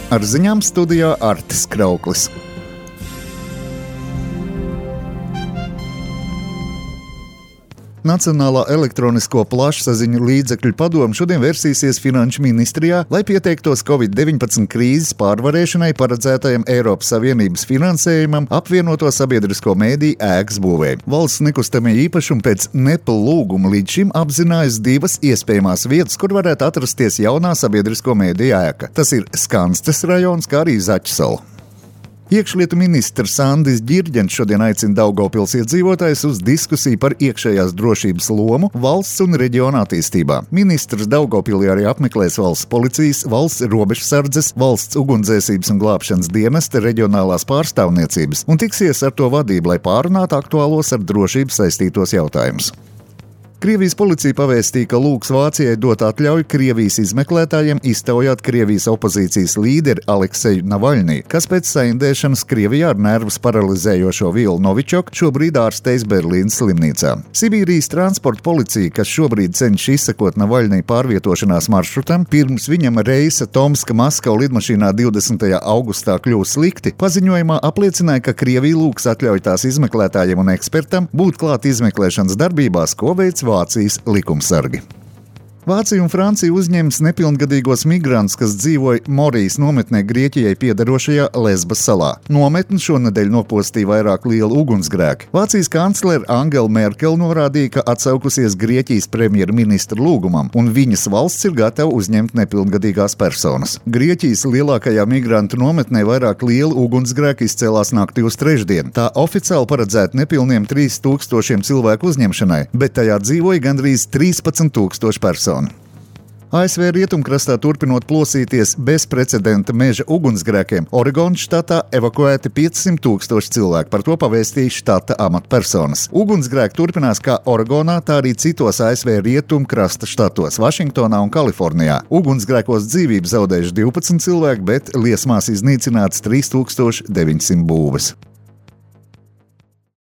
Ar ziņām studijā Artis Krauklis. Nacionālā elektronisko plašsaziņu līdzekļu padome šodien versīsies Finanšu ministrijā, lai pieteiktos Covid-19 krīzes pārvarēšanai paredzētajam Eiropas Savienības finansējumam apvienoto sabiedrisko mēdīju ēkas būvē. Valsts nekustamie īpašumi pēc NEPL lūguma līdz šim apzinājas divas iespējamās vietas, kur varētu atrasties jaunā sabiedrisko mēdīju ēka. Tas ir Skanstes rajons, kā arī Zaķsala. Iekšlietu ministrs Andris Ģirģents šodien aicina Daugavpils iedzīvotājus uz diskusiju par iekšējās drošības lomu valsts un reģiona attīstībā. Ministrs Daugavpilī arī apmeklēs valsts policijas, valsts robežsardzes, valsts ugunsdzēsības un glābšanas dienesta reģionālās pārstāvniecības un tiksies ar to vadību, lai pārunātu aktuālos ar drošību saistītos jautājumus. Krievijas policija pavēstīja, ka lūgs Vācijai dot atļauju Krievijas izmeklētājiem iztaujāt Krievijas opozīcijas līderi Alekseju Navaļniju, kas pēc saindēšanas Krievijā ar nervus paralizējošo vielu Novičoku šobrīd ārstējas Berlīnas slimnīcā. Sibīrijas transporta policija, kas šobrīd cenšas izsekot Navaļniju pārvietošanās maršrutam, pirms viņam reisa Tomska-Maskava lidmašīnā 20. augustā kļūst slikti, paziņojumā apliecināja, ka Krievija lūgs atļauj tās izmeklētājiem un ekspertam būt klāt izmeklēšanas darbībās, ko veic Vācijas likumsargi. Vācija un Francija uzņems nepilngadīgos migrantus, kas dzīvoja Morijas nometnē Grieķijai piederošajā Lesbas salā. Nometni šonedēļ nopostīja vairāk lielu ugunsgrēku. Vācijas kanclere Angela Merkele norādīja, ka atsaukusies Grieķijas premjerministra lūgumam, un viņas valsts ir gatava uzņemt nepilngadīgās personas. Grieķijas lielākajā migrantu nometnē vairāk lielu ugunsgrēku izcēlās naktī uz trešdienu. Tā oficiāli paredzēta nepilniem 3000 cilvēku uzņemšanai, bet tajā dzīvoja gandrīz 13,000 personu. ASV rietumkrastā turpinot plosīties bezprecedenta meža ugunsgrēkiem, Oregonas štatā evakuēti 500,000 cilvēku, par to pavēstīja štata amatpersonas. Ugunsgrēki turpinās kā Oregonā, tā arī citos ASV rietumkrasta štatos, Vašingtonā un Kalifornijā. Ugunsgrēkos dzīvību zaudējuši 12 cilvēki, bet liesmās iznīcināts 3900 būves.